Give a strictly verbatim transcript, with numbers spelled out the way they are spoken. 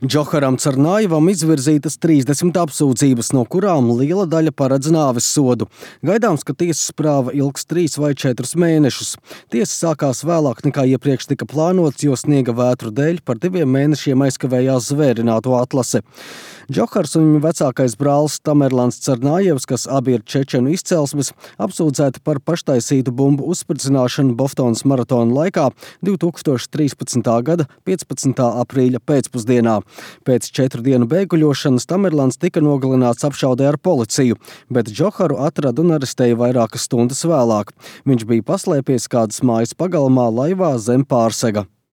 Džoharam Cernājevam izvirzītas trīsdesmit apsūdzības, no kurām liela daļa paredz nāves sodu. Gaidāms, ka tiesas prāva ilgs trīs vai četrus mēnešus. Tiesa sākās vēlāk nekā iepriekš tika plānots, jo sniega vētru dēļ par diviem mēnešiem aizkavējās zvērināto atlase. Džohars un viņa vecākais brālis Tamerlans Cernājevs, kas abi ir čečenu izcelsmes, apsūdzēti par paštaisītu bumbu uzspridzināšanu Boftonas maratona laikā divi tūkstoši trīspadsmitā gada piecpadsmitā aprīļa pēcpusdienā. Pēc četru dienu beiguļošanas Tamerlans tika nogalināts apšaudē ar policiju, bet Džoharu atrada un arestēja vairākas stundas vēlāk. Viņš bija paslēpies kādas mājas pagalmā laivā zem Pārsega.